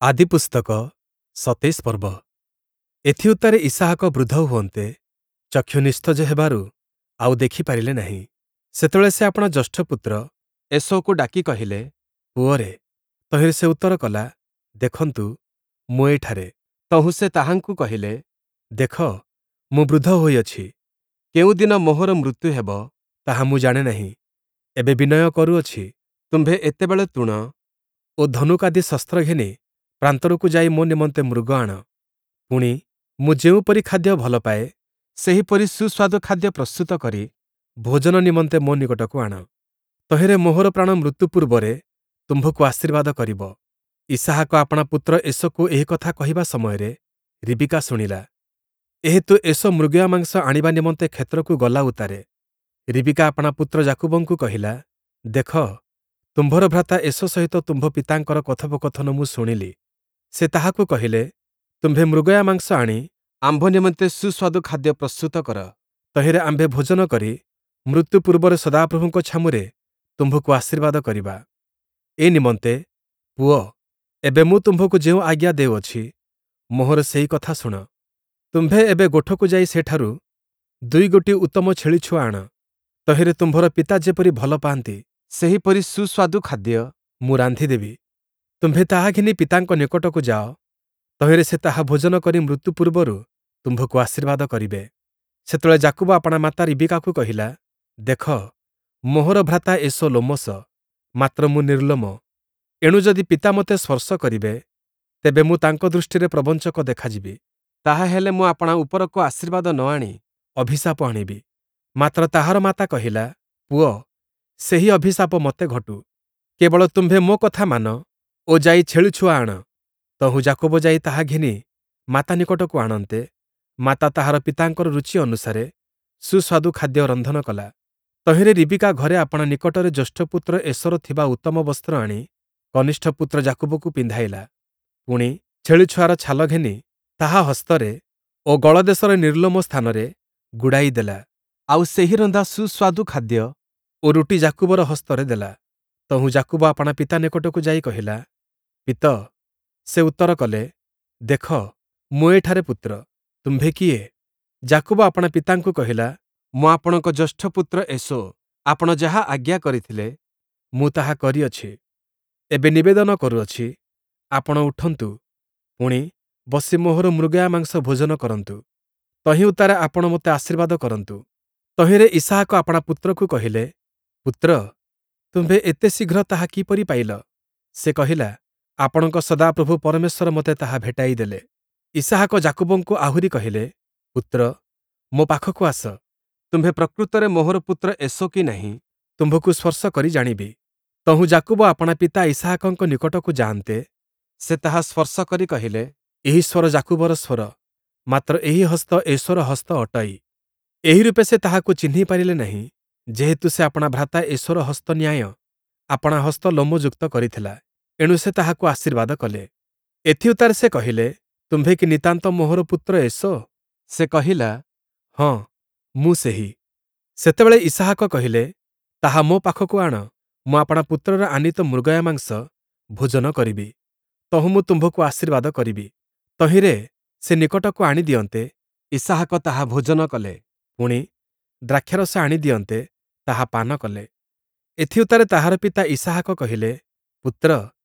ଆଦିପୁସ୍ତକ ୨୭ ପର୍ବ। ଏଥିଉତ୍ତାରେ ଇସାହକ ବୃଦ୍ଧ ହୁଅନ୍ତେ, ଚକ୍ଷୁ ନିସ୍ତେଜ ହେବାରୁ ଆଉ ଦେଖି ପାରିଲେ ନାହିଁ। ସେତେବେଳେ ସେ ଆପଣା ଜ୍ୟେଷ୍ଠପୁତ୍ର ଏଷୌକୁ ଡାକି କହିଲେ, ପୁଅରେ। ତହିଁରେ ସେ ଉତ୍ତର କଲା, ଦେଖନ୍ତୁ, ମୁଁ ଏଠାରେ। ତହୁଁ ସେ ତାହାଙ୍କୁ କହିଲେ, ଦେଖ, ମୁଁ ବୃଦ୍ଧ ହୋଇଅଛି, କେଉଁ ଦିନ ମୋହର ମୃତ୍ୟୁ ହେବ, ତାହା ମୁଁ ଜାଣେ ନାହିଁ। ଏବେ ବିନୟ କରୁଅଛି, ତୁମ୍ଭେ ଏତେବେଳେ ତୂଣ ଓ ଧନୁକାଦି ଶସ୍ତ୍ର ଘେନି ପ୍ରାନ୍ତରକୁ ଯାଇ ମୋ ନିମନ୍ତେ ମୃଗ ଆଣ। ପୁଣି, ମୁଁ ଯେଉଁପରି ଖାଦ୍ୟ ଭଲ ପାଏ, ସେହିପରି ସୁସ୍ୱାଦୁ ଖାଦ୍ୟ ପ୍ରସ୍ତୁତ କରି ଭୋଜନ ନିମନ୍ତେ ମୋ ନିକଟକୁ ଆଣ। ତହିଁରେ ମୋହର ପ୍ରାଣ ମୃତ୍ୟୁ ପୂର୍ବରେ ତୁମ୍ଭକୁ ଆଶୀର୍ବାଦ କରିବ। ଇସାହାକ ଆପଣା ପୁତ୍ର ଏଷୌକୁ ଏହି କଥା କହିବା ସମୟରେ ରିବିକା ଶୁଣିଲା। ଏହେତୁ ଏଷୌ ମୃଗୟ ମାଂସ ଆଣିବା ନିମନ୍ତେ କ୍ଷେତ୍ରକୁ ଗଲା ଉତ୍ତାରେ ରିବିକା ଆପଣା ପୁତ୍ର ଯାକୁବଙ୍କୁ କହିଲା, ଦେଖ, ତୁମ୍ଭର ଭ୍ରାତା ଏଷୌ ସହିତ ତୁମ୍ଭ ପିତାଙ୍କର କଥୋପକଥନ ମୁଁ ଶୁଣିଲି। ସେ ତାହାକୁ କହିଲେ, ତୁମ୍ଭେ ମୃଗୟା ମାଂସ ଆଣି ଆମ୍ଭ ନିମନ୍ତେ ସୁସ୍ୱାଦୁ ଖାଦ୍ୟ ପ୍ରସ୍ତୁତ କର। ତହିଁରେ ଆମ୍ଭେ ଭୋଜନ କରି ମୃତ୍ୟୁ ପୂର୍ବରେ ସଦାପ୍ରଭୁଙ୍କ ଛାମୁରେ ତୁମ୍ଭକୁ ଆଶୀର୍ବାଦ କରିବା। ଏ ନିମନ୍ତେ, ପୁଅ, ଏବେ ମୁଁ ତୁମ୍ଭକୁ ଯେଉଁ ଆଜ୍ଞା ଦେଉଅଛି, ମୋହର ସେହି କଥା ଶୁଣ। ତୁମ୍ଭେ ଏବେ ଗୋଠକୁ ଯାଇ ସେଠାରୁ ଦୁଇଗୋଟି ଉତ୍ତମ ଛେଳି ଛୁଆ ଆଣ। ତହିଁରେ ତୁମ୍ଭର ପିତା ଯେପରି ଭଲ ପାଆନ୍ତି, ସେହିପରି ସୁସ୍ୱାଦୁ ଖାଦ୍ୟ ମୁଁ ରାନ୍ଧିଦେବି। ତୁମ୍ଭେ ତାହା ଘେନି ପିତାଙ୍କ ନିକଟକୁ ଯାଅ, ତହିଁରେ ସେ ତାହା ଭୋଜନ କରି ମୃତ୍ୟୁ ପୂର୍ବରୁ ତୁମ୍ଭକୁ ଆଶୀର୍ବାଦ କରିବେ। ସେତେବେଳେ ଯାକୁବ ଆପଣା ମାତା ରିବିକାକୁ କହିଲା, ଦେଖ, ମୋହର ଭ୍ରାତା ଏଷୌ ଲୋମଶ, ମାତ୍ର ମୁଁ ନିର୍ଲୋମ। ଏଣୁ ଯଦି ପିତା ମୋତେ ସ୍ପର୍ଶ କରିବେ, ତେବେ ମୁଁ ତାଙ୍କ ଦୃଷ୍ଟିରେ ପ୍ରବଞ୍ଚକ ଦେଖାଯିବି। ତାହାହେଲେ ମୁଁ ଆପଣା ଉପରକୁ ଆଶୀର୍ବାଦ ନ ଆଣି ଅଭିଶାପ ଆଣିବି। ମାତ୍ର ତାହାର ମାତା କହିଲା, ପୁଅ, ସେହି ଅଭିଶାପ ମୋତେ ଘଟୁ। କେବଳ ତୁମ୍ଭେ ମୋ କଥା ମାନ ଓ ଯାଇ ଛେଳି ଛୁଆ ଆଣ। ତହୁଁ ଯାକୁବ ଯାଇ ତାହା ଘେନି ମାତା ନିକଟକୁ ଆଣନ୍ତେ, ମାତା ତାହାର ପିତାଙ୍କର ରୁଚି ଅନୁସାରେ ସୁସ୍ୱାଦୁ ଖାଦ୍ୟ ରନ୍ଧନ କଲା। ତହିଁରେ ରିବିକା ଘରେ ଆପଣା ନିକଟରେ ଜ୍ୟେଷ୍ଠପୁତ୍ର ଏଷୌର ଥିବା ଉତ୍ତମ ବସ୍ତ୍ର ଆଣି କନିଷ୍ଠ ପୁତ୍ର ଯାକୁବକୁ ପିନ୍ଧାଇଲା। ପୁଣି, ଛେଳି ଛୁଆର ଛାଲ ଘେନି ତାହା ହସ୍ତରେ ଓ ଗଳଦେଶର ନିର୍ଲୋମ ସ୍ଥାନରେ ଗୁଡ଼ାଇ ଦେଲା। ଆଉ ସେହି ରନ୍ଧା ସୁସ୍ୱାଦୁ ଖାଦ୍ୟ ଓ ରୁଟି ଯାକୁବର ହସ୍ତରେ ଦେଲା। ତହୁଁ ଯାକୁବ ଆପଣା ପିତା ନିକଟକୁ ଯାଇ କହିଲା, ପିତ। ସେ ଉତ୍ତର କଲେ, ଦେଖ, ମୁଁ ଏଠାରେ ପୁତ୍ର, ତୁମ୍ଭେ କିଏ? ଯାକୁବ ଆପଣା ପିତାଙ୍କୁ କହିଲା, ମୁଁ ଆପଣଙ୍କ ଜ୍ୟେଷ୍ଠପୁତ୍ର ଏଷୌ। ଆପଣ ଯାହା ଆଜ୍ଞା କରିଥିଲେ, ମୁଁ ତାହା କରିଅଛି। ଏବେ ନିବେଦନ କରୁଅଛି, ଆପଣ ଉଠନ୍ତୁ, ପୁଣି, ବସି ମୋହର ମୃଗୟା ମାଂସ ଭୋଜନ କରନ୍ତୁ। ତହିଁ ଉତ୍ତାରେ ଆପଣ ମୋତେ ଆଶୀର୍ବାଦ କରନ୍ତୁ। ତହିଁରେ ଇସାହାକ ଆପଣା ପୁତ୍ରକୁ କହିଲେ, ପୁତ୍ର, ତୁମ୍ଭେ ଏତେ ଶୀଘ୍ର ତାହା କିପରି ପାଇଲ? ସେ କହିଲା, ଆପଣଙ୍କ ସଦାପ୍ରଭୁ ପରମେଶ୍ୱର ମୋତେ ତାହା ଭେଟାଇ ଦେଲେ। ଇସାହାକ ଯାକୁବଙ୍କୁ ଆହୁରି କହିଲେ, ପୁତ୍ର, ମୋ ପାଖକୁ ଆସ। ତୁମ୍ଭେ ପ୍ରକୃତରେ ମୋହର ପୁତ୍ର ଏଷୌ କି ନାହିଁ, ତୁମ୍ଭକୁ ସ୍ପର୍ଶ କରି ଜାଣିବି। ତହୁଁ ଯାକୁବ ଆପଣା ପିତା ଇସାହାକଙ୍କ ନିକଟକୁ ଯାଆନ୍ତେ, ସେ ତାହା ସ୍ପର୍ଶ କରି କହିଲେ, ଏହି ସ୍ୱର ଯାକୁବର ସ୍ୱର, ମାତ୍ର ଏହି ହସ୍ତ ଏଷୌର ହସ୍ତ ଅଟଇ। ଏହି ରୂପେ ସେ ତାହାକୁ ଚିହ୍ନି ପାରିଲେ ନାହିଁ, ଯେହେତୁ ସେ ଆପଣା ଭ୍ରାତା ଏଷୌର ହସ୍ତ ନ୍ୟାୟ ଆପଣା ହସ୍ତ ଲୋମଯୁକ୍ତ କରିଥିଲା। ଏଣୁ ସେ ତାହାକୁ ଆଶୀର୍ବାଦ କଲେ। ଏଥିଉତ୍ତାରେ ସେ କହିଲେ, ତୁମ୍ଭେ କି ନିତାନ୍ତ ମୋହର ପୁତ୍ର ଏଷୌ? ସେ କହିଲା, ହଁ, ମୁଁ ସେହି। ସେତେବେଳେ ଇସାହାକ କହିଲେ, ତାହା ମୋ ପାଖକୁ ଆଣ, ମୁଁ ଆପଣା ପୁତ୍ରର ଆନୀତ ମୃଗୟା ମାଂସ ଭୋଜନ କରିବି, ତହୁଁ ମୁଁ ତୁମ୍ଭକୁ ଆଶୀର୍ବାଦ କରିବି। ତହିଁରେ ସେ ନିକଟକୁ ଆଣି ଦିଅନ୍ତେ, ଇସାହାକ ତାହା ଭୋଜନ କଲେ। ପୁଣି, ଦ୍ରାକ୍ଷାରସ ଆଣି ଦିଅନ୍ତେ, ତାହା ପାନ କଲେ। ଏଥିଉତ୍ତାରେ ତାହାର ପିତା ଇସାହାକ କହିଲେ, ପୁତ୍ର,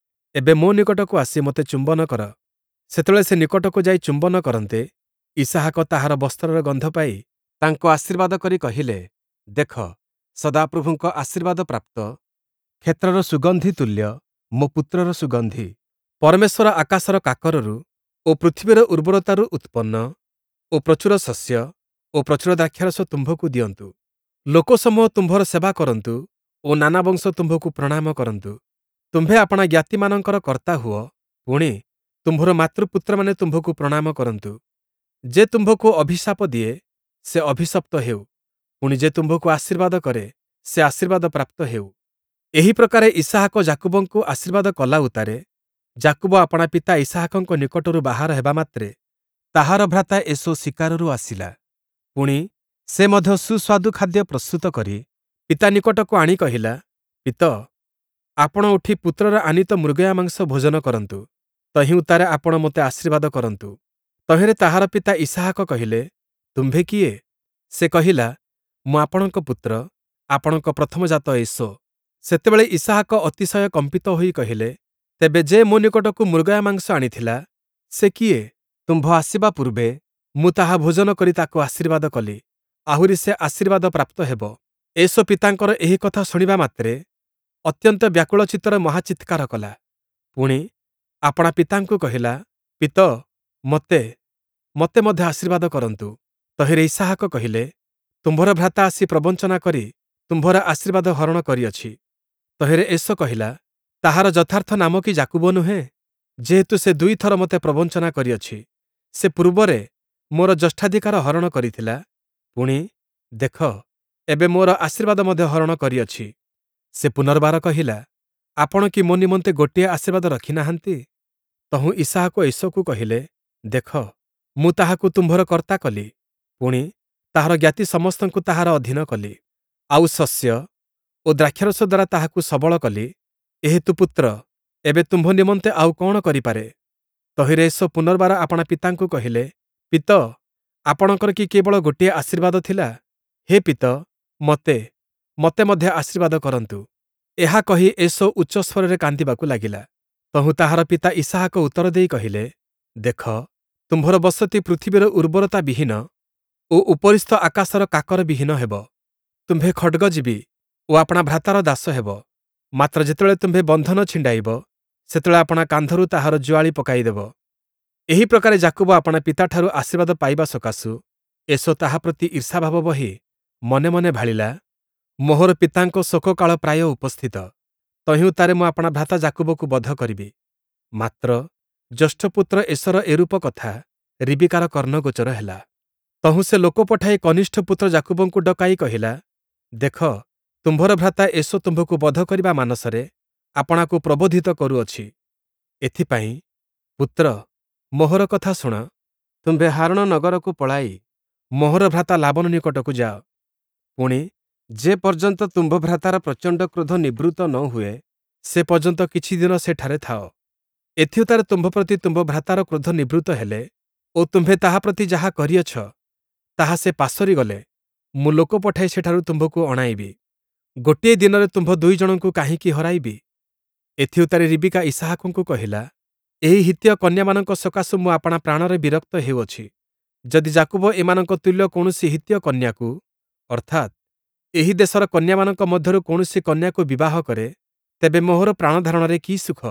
ଏବେ ମୋ ନିକଟକୁ ଆସି ମୋତେ ଚୁମ୍ବନ କର। ସେତେବେଳେ ସେ ନିକଟକୁ ଯାଇ ଚୁମ୍ବନ କରନ୍ତେ, ଇସାହାକ ତାହାର ବସ୍ତ୍ରର ଗନ୍ଧ ପାଇ ତାଙ୍କୁ ଆଶୀର୍ବାଦ କରି କହିଲେ, ଦେଖ, ସଦାପ୍ରଭୁଙ୍କ ଆଶୀର୍ବାଦ ପ୍ରାପ୍ତ କ୍ଷେତ୍ରର ସୁଗନ୍ଧି ତୁଲ୍ୟ ମୋ ପୁତ୍ରର ସୁଗନ୍ଧି। ପରମେଶ୍ୱର ଆକାଶର କାକରରୁ ଓ ପୃଥିବୀର ଉର୍ବରତାରୁ ଉତ୍ପନ୍ନ ଓ ପ୍ରଚୁର ଶସ୍ୟ ଓ ପ୍ରଚୁର ଦ୍ରାକ୍ଷାରସ ତୁମ୍ଭକୁ ଦିଅନ୍ତୁ। ଲୋକସମୂହ ତୁମ୍ଭର ସେବା କରନ୍ତୁ ଓ ନାନା ବଂଶ ତୁମ୍ଭକୁ ପ୍ରଣାମ କରନ୍ତୁ। ତୁମ୍ଭେ ଆପଣା ଜ୍ଞାତିମାନଙ୍କର କର୍ତ୍ତା ହୁଅ, ପୁଣି, ତୁମ୍ଭର ମାତୃପୁତ୍ରମାନେ ତୁମ୍ଭକୁ ପ୍ରଣାମ କରନ୍ତୁ। ଯେ ତୁମ୍ଭକୁ ଅଭିଶାପ ଦିଏ, ସେ ଅଭିଶପ୍ତ ହେଉ, ପୁଣି, ଯେ ତୁମ୍ଭକୁ ଆଶୀର୍ବାଦ କରେ, ସେ ଆଶୀର୍ବାଦ ପ୍ରାପ୍ତ ହେଉ। ଏହି ପ୍ରକାରେ ଇସାହାକ ଯାକୁବଙ୍କୁ ଆଶୀର୍ବାଦ କଲା ଉତ୍ତାରେ ଯାକୁବ ଆପଣା ପିତା ଇସାହାକଙ୍କ ନିକଟରୁ ବାହାର ହେବା ମାତ୍ରେ ତାହାର ଭ୍ରାତା ଏଷୌ ଶିକାରରୁ ଆସିଲା। ପୁଣି, ସେ ମଧ୍ୟ ସୁସ୍ୱାଦୁ ଖାଦ୍ୟ ପ୍ରସ୍ତୁତ କରି ପିତା ନିକଟକୁ ଆଣି କହିଲା, ପିତ, ଆପଣ ଉଠି ପୁତ୍ରର ଆନୀତ ମୃଗୟା ମାଂସ ଭୋଜନ କରନ୍ତୁ। ତହିଁ ଉତ୍ତାରେ ଆପଣ ମୋତେ ଆଶୀର୍ବାଦ କରନ୍ତୁ। ତହିଁରେ ତାହାର ପିତା ଇସାହାକ କହିଲେ, ତୁମ୍ଭେ କିଏ? ସେ କହିଲା, ମୁଁ ଆପଣଙ୍କ ପୁତ୍ର, ଆପଣଙ୍କ ପ୍ରଥମଜାତ ଏଷୌ। ସେତେବେଳେ ଇସାହାକ ଅତିଶୟ କମ୍ପିତ ହୋଇ କହିଲେ, ତେବେ ଯେ ମୋ ନିକଟକୁ ମୃଗୟା ମାଂସ ଆଣିଥିଲା, ସେ କିଏ? ତୁମ୍ଭ ଆସିବା ପୂର୍ବେ ମୁଁ ତାହା ଭୋଜନ କରି ତାକୁ ଆଶୀର୍ବାଦ କଲି, ଆହୁରି ସେ ଆଶୀର୍ବାଦ ପ୍ରାପ୍ତ ହେବ। ଏଷୌ ପିତାଙ୍କର ଏହି କଥା ଶୁଣିବା ମାତ୍ରେ ଅତ୍ୟନ୍ତ ବ୍ୟାକୁଳ ଚିତ୍ତରେ ମହାଚିତ୍କାର କଲା। ପୁଣି, ଆପଣା ପିତାଙ୍କୁ କହିଲା, ପିତଃ, ମୋତେ, ମୋତେ ମଧ୍ୟ ଆଶୀର୍ବାଦ କରନ୍ତୁ। ତହିଁରେ ଇସାହାକ କହିଲେ, ତୁମ୍ଭର ଭ୍ରାତା ଆସି ପ୍ରବଞ୍ଚନା କରି ତୁମ୍ଭର ଆଶୀର୍ବାଦ ହରଣ କରିଅଛି। ତହିଁରେ ଏଷୌ କହିଲା, ତାହାର ଯଥାର୍ଥ ନାମ କି ଯାକୁବ ନୁହେଁ? ଯେହେତୁ ସେ ଦୁଇଥର ମୋତେ ପ୍ରବଞ୍ଚନା କରିଅଛି। ସେ ପୂର୍ବରେ ମୋର ଜ୍ୟେଷ୍ଠାଧିକାର ହରଣ କରିଥିଲା, ପୁଣି, ଦେଖ, ଏବେ ମୋର ଆଶୀର୍ବାଦ ମଧ୍ୟ ହରଣ କରିଅଛି। ସେ ପୁନର୍ବାର କହିଲା, ଆପଣ କି ମୋ ନିମନ୍ତେ ଗୋଟିଏ ଆଶୀର୍ବାଦ ରଖି ନାହାନ୍ତି? ତହୁଁ ଇସାହାକ ଏଷୌକୁ କହିଲେ, ଦେଖ, ମୁଁ ତାହାକୁ ତୁମ୍ଭର କର୍ତ୍ତା କଲି, ପୁଣି, ତାହାର ଜ୍ଞାତି ସମସ୍ତଙ୍କୁ ତାହାର ଅଧୀନ କଲି, ଆଉ ଶସ୍ୟ ଓ ଦ୍ରାକ୍ଷାରସ ଦ୍ୱାରା ତାହାକୁ ସବଳ କଲି। ଏହେତୁ ପୁତ୍ର, ଏବେ ତୁମ୍ଭ ନିମନ୍ତେ ଆଉ କଅଣ କରିପାରେ? ତହିଁରେ ଏଷୌ ପୁନର୍ବାର ଆପଣା ପିତାଙ୍କୁ କହିଲେ, ପିତଃ, ଆପଣଙ୍କର କି କେବଳ ଗୋଟିଏ ଆଶୀର୍ବାଦ ଥିଲା? ହେ ପିତଃ, ମୋତେ, ମୋତେ ମଧ୍ୟ ଆଶୀର୍ବାଦ କରନ୍ତୁ। ଏହା କହି ଏଷୌ ଉଚ୍ଚ ସ୍ୱରରେ କାନ୍ଦିବାକୁ ଲାଗିଲା। ତହୁଁ ତାହାର ପିତା ଇସାହାକ ଉତ୍ତର ଦେଇ କହିଲେ, ଦେଖ, ତୁମ୍ଭର ବସତି ପୃଥିବୀର ଉର୍ବରତା ବିହୀନ ଓ ଉପରିସ୍ଥ ଆକାଶର କାକର ବିହୀନ ହେବ। ତୁମ୍ଭେ ଖଡ଼୍ଗଜୀବୀ ଓ ଆପଣା ଭ୍ରାତାର ଦାସ ହେବ। ମାତ୍ର ଯେତେବେଳେ ତୁମ୍ଭେ ବନ୍ଧନ ଛିଣ୍ଡାଇବ, ସେତେବେଳେ ଆପଣା କାନ୍ଧରୁ ତାହାର ଜୁଆଳି ପକାଇଦେବ। ଏହି ପ୍ରକାରେ ଯାକୁବ ଆପଣା ପିତାଠାରୁ ଆଶୀର୍ବାଦ ପାଇବା ସକାଶୁ ଏଷୌ ତାହା ପ୍ରତି ଈର୍ଷାଭାବ ବହି ମନେ ମନେ ଭାଳିଲା, ମୋହର ପିତାଙ୍କ ଶୋକକାଳ ପ୍ରାୟ ଉପସ୍ଥିତ, ତହିଁ ଉତ୍ତାରେ ମୁଁ ଆପଣା ଭ୍ରାତା ଯାକୁବକୁ ବଧ କରିବି। ମାତ୍ର ଜ୍ୟେଷ୍ଠପୁତ୍ର ଏଷୌର ଏରୂପ କଥା ରିବିକାର କର୍ଣ୍ଣଗୋଚର ହେଲା। ତହୁଁ ସେ ଲୋକ ପଠାଇ କନିଷ୍ଠ ପୁତ୍ର ଯାକୁବଙ୍କୁ ଡକାଇ କହିଲା, ଦେଖ, ତୁମ୍ଭର ଭ୍ରାତା ଏଷୌ ତୁମ୍ଭକୁ ବଧ କରିବା ମାନସରେ ଆପଣାକୁ ପ୍ରବୋଧିତ କରୁଅଛି। ଏଥିପାଇଁ, ପୁତ୍ର, ମୋହର କଥା ଶୁଣ, ତୁମ୍ଭେ ହାରଣ ନଗରକୁ ପଳାଇ ମୋହର ଭ୍ରାତା ଲାବନ ନିକଟକୁ ଯାଅ। ପୁଣି, ଯେ ପର୍ଯ୍ୟନ୍ତ ତୁମ୍ଭ ଭ୍ରାତାର ପ୍ରଚଣ୍ଡ କ୍ରୋଧ ନିବୃତ୍ତ ନ ହୁଏ, ସେ ପର୍ଯ୍ୟନ୍ତ କିଛି ଦିନ ସେଠାରେ ଥାଅ। ଏଥିଉତ୍ତାରେ ତୁମ୍ଭ ପ୍ରତି ତୁମ୍ଭ ଭ୍ରାତାର କ୍ରୋଧ ନିବୃତ୍ତ ହେଲେ ଓ ତୁମ୍ଭେ ତାହା ପ୍ରତି ଯାହା କରିଅଛ, ତାହା ସେ ପାସୋରି ଗଲେ, ମୁଁ ଲୋକ ପଠାଇ ସେଠାରୁ ତୁମ୍ଭକୁ ଅଣାଇବି। ଗୋଟିଏ ଦିନରେ ତୁମ୍ଭ ଦୁଇ ଜଣଙ୍କୁ କାହିଁକି ହରାଇବି? ଏଥିଉତ୍ତାରେ ରିବିକା ଇସାହାକଙ୍କୁ କହିଲା, ଏହି ହିତ୍ତୀୟ କନ୍ୟାମାନଙ୍କ ସକାଶୁ ମୁଁ ଆପଣା ପ୍ରାଣରେ ବିରକ୍ତ ହେଉଅଛି। ଯଦି ଯାକୁବ ଏମାନଙ୍କ ତୁଲ୍ୟ କୌଣସି ହିତ୍ତୀୟ କନ୍ୟାକୁ, ଅର୍ଥାତ୍, ଏହି ଦେଶର କନ୍ୟାମାନଙ୍କ ମଧ୍ୟରୁ କୌଣସି କନ୍ୟାକୁ ବିବାହ କରେ, ତେବେ ମୋହର ପ୍ରାଣଧାରଣରେ କି ସୁଖ?